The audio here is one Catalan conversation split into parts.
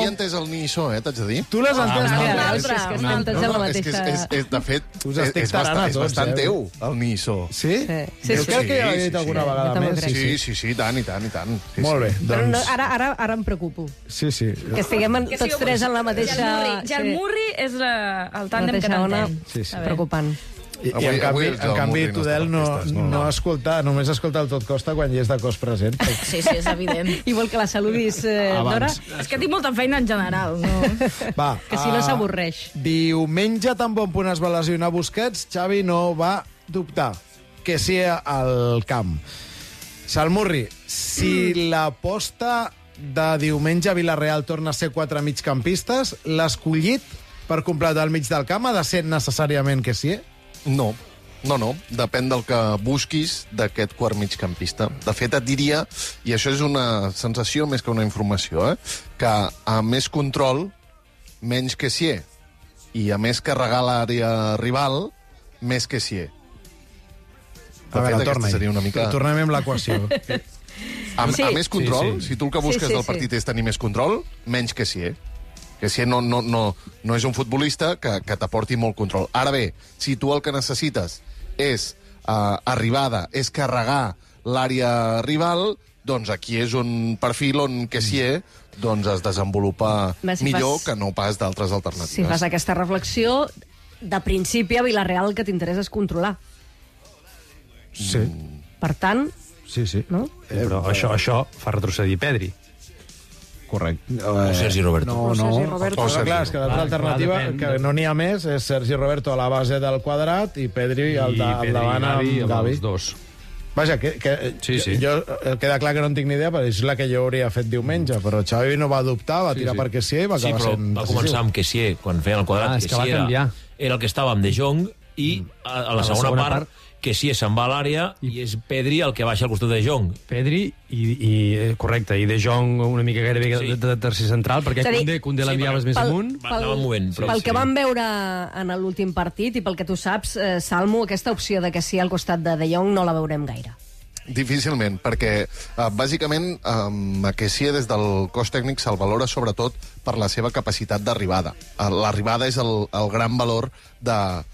he entès el Niso, t'haig de dir. Tu l'has entès, És que no? estem entens la mateixa... De fet, Us estic tarant a és tots, bastant teu, el Niso. Sí? Sí, Jo crec que ja l'he dit alguna vegada Jo també ho més. crec. Sí, tant. Molt bé, Però no, doncs... ara em preocupo. Sí. Que estiguem tots tres en la mateixa... Ja el Murri és el tàndem que ona. t'entén. Sí. Preocupant. I en canvi Tudel no escolta, només escolta el Tot Costa quan hi és de cos present. Sí, és evident. I vol que la saludis, Dora? És que tinc molta feina en general, no? Va, Que si no s'avorreix. Diumenge, tan bon punt es va lesionar Busquets, Xavi no va dubtar que sí al camp. Salmurri, si l'aposta de diumenge a Villarreal torna a ser 4 migcampistes, l'escollit per completar el mig del camp ha de ser necessàriament que sí? No. Depèn del que busquis d'aquest quart migcampista. De fet, et diria, i això és una sensació més que una informació, que a més control, menys que sí. I a més carregar l'àrea rival, més que sí. A veure, torna-hi. Seria una mica... Tornem amb l'equació. A més control, si tu el que busques del partit és tenir més control, menys que sí. Que si no és un futbolista que t'aporti molt control. Ara bé, si tu el que necessites és arribada, és carregar l'àrea rival, doncs aquí és un perfil on Kessié doncs es desenvolupa millor que no pas d'altres alternatives. Si fas aquesta reflexió, de principi a Villarreal el que t'interessa és controlar. Sí. Per tant... Sí. No? Però això fa retrocedir Pedri. Correcte. O Sergi Roberto. No. Sergi Roberto. Però clar, és que l'altra alternativa, depèn. que no n'hi ha més, és Sergi Roberto a la base del quadrat i Pedri al davant amb Gavi. Els dos. Vaja, Sí. jo queda clar que no en tinc ni idea, perquè és la que jo hauria fet diumenge, però Xavi no va dubtar, va tirar per Kessié i va acabar però sent va començar amb Kessié, quan feien el quadrat. És que va canviar. Era el que estava amb De Jong, i a la segona part Kessié se'n va a l'àrea i és Pedri el que baixa al costat de De Jong. Pedri correcte, i De Jong una mica gairebé de tercer central, perquè Koundé l'enviaves més amunt. Anava movent. Pel que vam veure en l'últim partit i pel que tu saps, Salmo, aquesta opció de Kessié al costat de De Jong no la veurem gaire. Difícilment, perquè bàsicament a Kessié des del cos tècnic se'l valora sobretot per la seva capacitat d'arribada. L'arribada és el gran valor de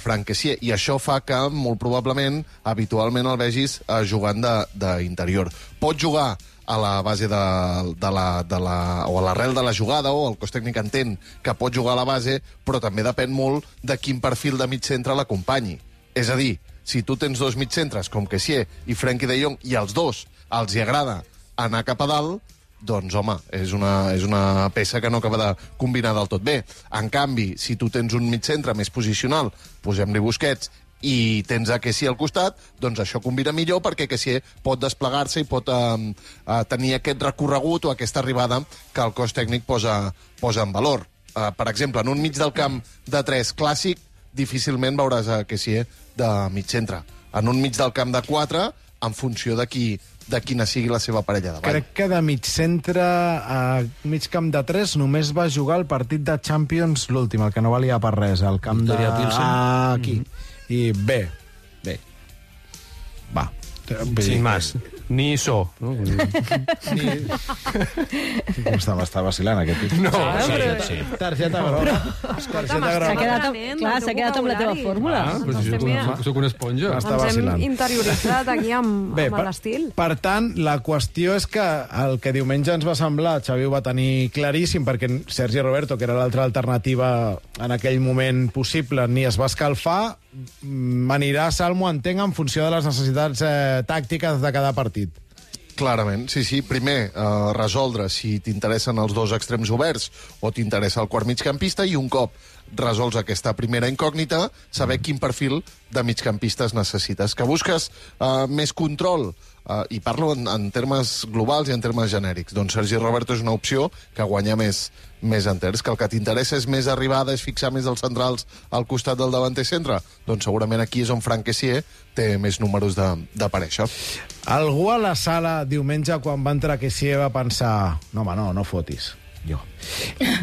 Franck Kessié, i això fa que, molt probablement, habitualment el vegis jugant d'interior. Pot jugar a la base o a l'arrel de la jugada, o el cos tècnic entén que pot jugar a la base, però també depèn molt de quin perfil de mig centre l'acompanyi. És a dir, si tu tens dos mitcentres com Kessié i Frenkie de Jong, i als dos els hi agrada anar cap a dalt, doncs, home, és una peça que no acaba de combinar del tot bé. En canvi, si tu tens un mitcentre més posicional, posem-li Busquets, i tens a Kessié al costat, doncs això combina millor, perquè Kessié pot desplegar-se i pot tenir aquest recorregut o aquesta arribada que el cos tècnic posa en valor. Per exemple, en un mig del camp de 3 clàssic, difícilment veuràs a Kessié de mig centre. En un mig del camp de 4, en funció de quina sigui la seva parella davant. Crec que de mig centre a mig camp de 3 només va jugar el partit de Champions, l'últim, el que no valia per res, el camp Victoria Pilsen. aquí. I bé. Va. Sin más. Ni so. No? Com està vacilant aquest tio. No. Sí. Targeta groga. Targeta groga. S'ha quedat amb la teva fórmula. Soc una esponja. Està Ens vacilant. hem interioritzat aquí amb l'estil. Per tant, la qüestió és que el que diumenge ens va semblar, Xavi ho va tenir claríssim, perquè Sergi Roberto, que era l'altra alternativa en aquell moment possible, ni es va escalfar, anirà a Salmo, entenc, en funció de les necessitats tàctiques de cada partit. Clarament, sí. Primer, resoldre si t'interessen els dos extrems oberts o t'interessa el quart migcampista, i un cop resols aquesta primera incògnita, saber quin perfil de migcampistes necessites. Que busques més control, i parlo en termes globals i en termes genèrics, doncs Sergi Roberto és una opció que guanya més enters. Que el que t'interessa és més arribada, és fixar més els centrals al costat del davanter centre, doncs segurament aquí és on Franck Kessié té més números d'aparèixer. Algú a la sala diumenge, quan va entrar Kessié, va pensar no, home, no fotis. Jo.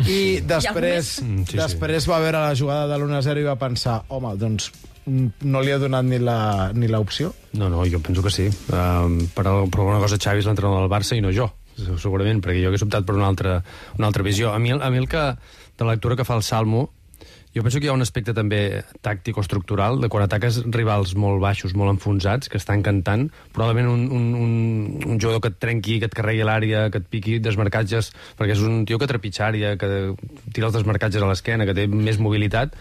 I després va veure la jugada de l'1-0 i va pensar, home, doncs no li ha donat ni l'opció? No, jo penso que sí. Per alguna cosa Xavi és l'entrenador del Barça i no jo. segurament, perquè jo hagués optat per una altra visió. A mi el que, de la lectura que fa el Salmo, jo penso que hi ha un aspecte també tàctic o estructural de quan ataques rivals molt baixos, molt enfonsats, que estan cantant, probablement un jugador que et trenqui, que et carregui l'àrea, que et piqui desmarcatges, perquè és un tio que trepitja àrea, que tira els desmarcatges a l'esquena, que té més mobilitat,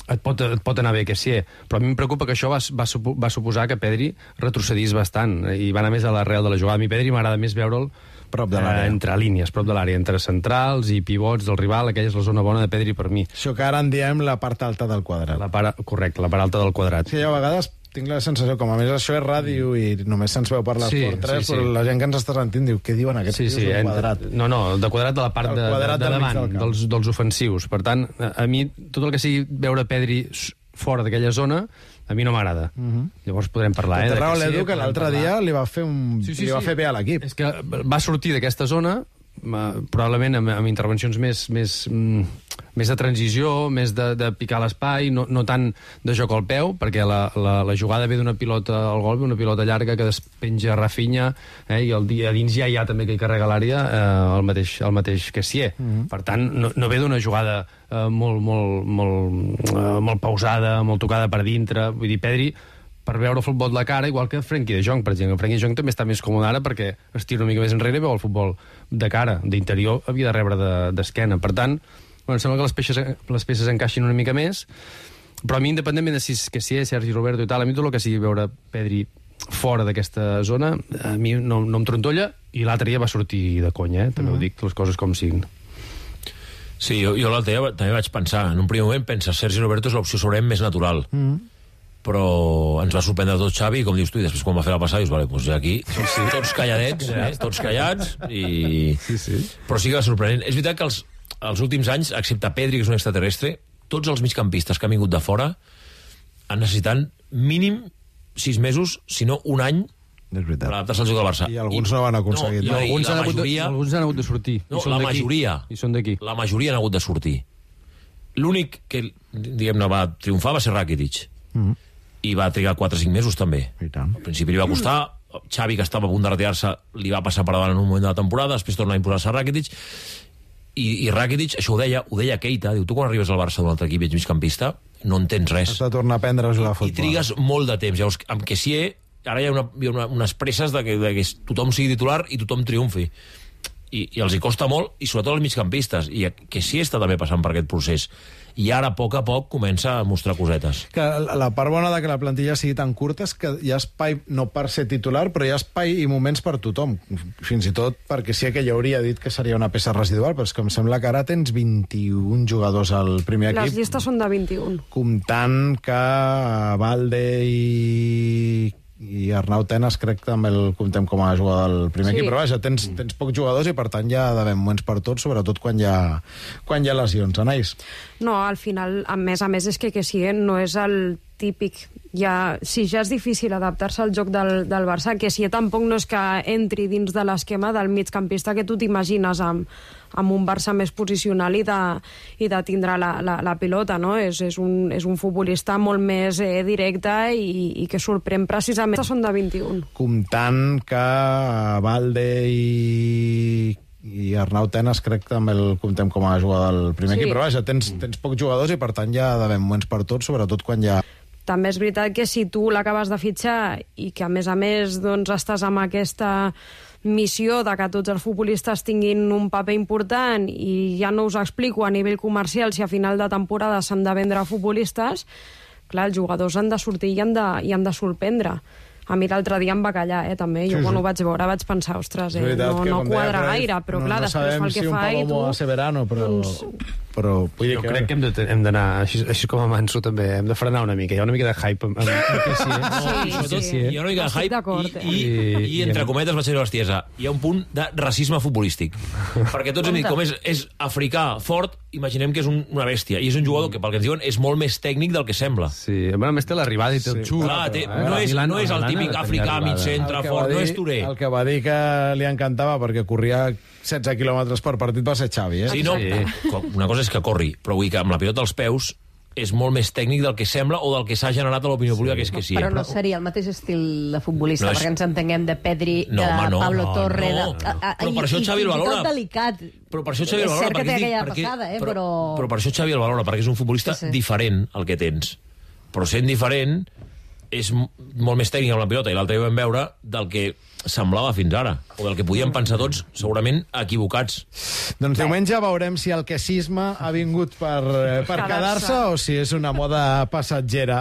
et pot anar bé que sí. Però a mi em preocupa que això va suposar que Pedri retrocedís bastant i va anar més a l'arrel de la jugada. A mi Pedri m'agrada més veure'l prop de l'àrea, entre línies, prop de l'àrea, entre centrals i pivots del rival. Aquella és la zona bona de Pedri per mi. Això que ara en diem la part alta del quadrat. Correcte, la part alta del quadrat. Sí, jo a vegades tinc la sensació, com a més això és ràdio i només se'ns veu per l'Esport 3, però la gent que ens està sentint diu, què diuen aquests tios del quadrat? No, de quadrat de la part de davant, dels ofensius. Per tant, a mi, tot el que sigui veure Pedri fora d'aquella zona, a mi no m'agrada. Llavors podrem parlar. Té raó l'Edu, que l'altre dia li va fer fer bé a l'equip. És que va sortir d'aquesta zona, probablement amb intervencions més de transició, més de picar l'espai, no tant de joc al peu, perquè la jugada ve d'una pilota al gol, ve una pilota llarga que despenja Rafinha, i a dins ja hi ha també que hi carrega l'àrea el mateix Kessié. Per tant, no ve d'una jugada molt pausada, molt tocada per dintre. Vull dir, Pedri, per veure el futbol de la cara, igual que Frenkie de Jong, per exemple. Frenkie de Jong també està més còmode ara perquè es tira una mica més enrere i veu el futbol de cara. D'interior havia de rebre d'esquena. Per tant, sembla que les peces encaixin una mica més, però a mi, independentment de si és Sergi Roberto i tal, a mi tot el que sigui veure Pedri fora d'aquesta zona, a mi no em trontolla, i l'altre dia va sortir de conya, també ho dic, les coses com siguin. Sí, jo l'altre dia també vaig pensar, en un primer moment pensa, Sergi Roberto és l'opció segurament més natural, però ens va sorprendre tot Xavi, com dius tu, i després quan va fer la passada dius, vale, doncs ja aquí, tots calladets, tots callats, però sí que va sorprenent. És veritat que els últims anys, excepte Pedri, que és un extraterrestre, tots els migcampistes que han vingut de fora han necessitat mínim 6 mesos, si no un any, per adaptar-se al joc del Barça. I alguns no van aconseguir. Alguns han hagut de sortir. No, la majoria. I són d'aquí. La majoria han hagut de sortir. L'únic que, diguem-ne, va triomfar va ser Rakitic. I va trigar 4 o 5 mesos també. Al principi li va costar, Xavi, que estava a punt de retirar-se, li va passar per davant en un moment de la temporada, després torna a imposar-se a Rakitic, i Rakitic, això ho deia Keita, diu, tu quan arribes al Barça d'un altre equip i ets migcampista, no entens res. Has de tornar a aprendre a jugar a futbol. I trigues molt de temps. Llavors, amb Kessié, ara hi ha unes presses de que tothom sigui titular i tothom triomfi. I els hi costa molt, i sobretot als migcampistes, i Kessié està també passant per aquest procés. I ara, a poc comença a mostrar cosetes. Que la part bona de que la plantilla sigui tan curta és que hi ha espai, no per ser titular, però hi ha espai i moments per tothom. Fins i tot perquè sí que ja hauria dit que seria una peça residual, però és que em sembla que ara tens 21 jugadors al primer equip. Les llistes són de 21. Comptant que Valde i Arnau Tenas crec que també el comptem com a jugador del primer equip, però vaja, tens pocs jugadors i per tant ja ha d'haver moments per tots, sobretot quan hi ha lesions. Anais? No, al final, a més és que sí, no és el típic. Si ja és difícil adaptar-se al joc del Barça, que si tampoc no és que entri dins de l'esquema del migcampista que tu t'imagines amb un Barça més posicional i de tindre la pilota, no? És un futbolista molt més directe i que sorprèn precisament. Són de 21. Comptant que Valde i Arnau Tenas crec que també el comptem com a jugador del primer equip, però vaja, tens pocs jugadors i per tant ja ha d'haver moments per tots, sobretot quan hi ha... També és veritat que si tu l'acabes de fitxar i que a més doncs, estàs amb aquesta missió de que tots els futbolistes tinguin un paper important, i ja no us explico a nivell comercial si a final de temporada s'han de vendre futbolistes, clar, els jugadors han de sortir i han de sorprendre. A mi l'altre dia em va callar, també. Jo quan ho vaig veure vaig pensar, ostres, no quadra gaire, però clar, després fa el que fa i tu... No sabem si un Palomo a Severano, però jo crec que hem d'anar, així com a Manso també, hem de frenar una mica. Hi ha una mica de hype amb sí. Hi ha una mica de hype i entre cometes vaig dir a l'estiesa, hi ha un punt de racisme futbolístic. Perquè tots hem dit, com és africà, fort, imaginem que és una bèstia, i és un jugador que, pel que ens diuen, és molt més tècnic del que sembla. Sí, a més té l'arribada i té el xut. No és el típic africà, mig centre, fort, no és Touré. El que va dir que li encantava perquè corria 16 quilòmetres per partit va ser Xavi, Sí, no, una cosa és que corri, però vull dir que amb la pilota als peus és molt més tècnic del que sembla o del que s'ha generat a l'opinió pública, que és que sí. Però no seria el mateix estil de futbolista, No és- perquè ens entenguem de Pedri, No, de home, no. Pablo No, Torre... no. Però per això Xavi el valora. I tot delicat. Però per això Xavi el valora. És cert que té perquè aquella dic- passada, però però... per això Xavi el valora, perquè és un futbolista Sí, sí. diferent al que tens. Però sent diferent, és molt més tècnic amb la pilota, i l'altre dia vam veure del que semblava fins ara, o del que podíem pensar tots, segurament equivocats. Doncs diumenge veurem si el quesisme ha vingut per quedar-se o si és una moda passatgera.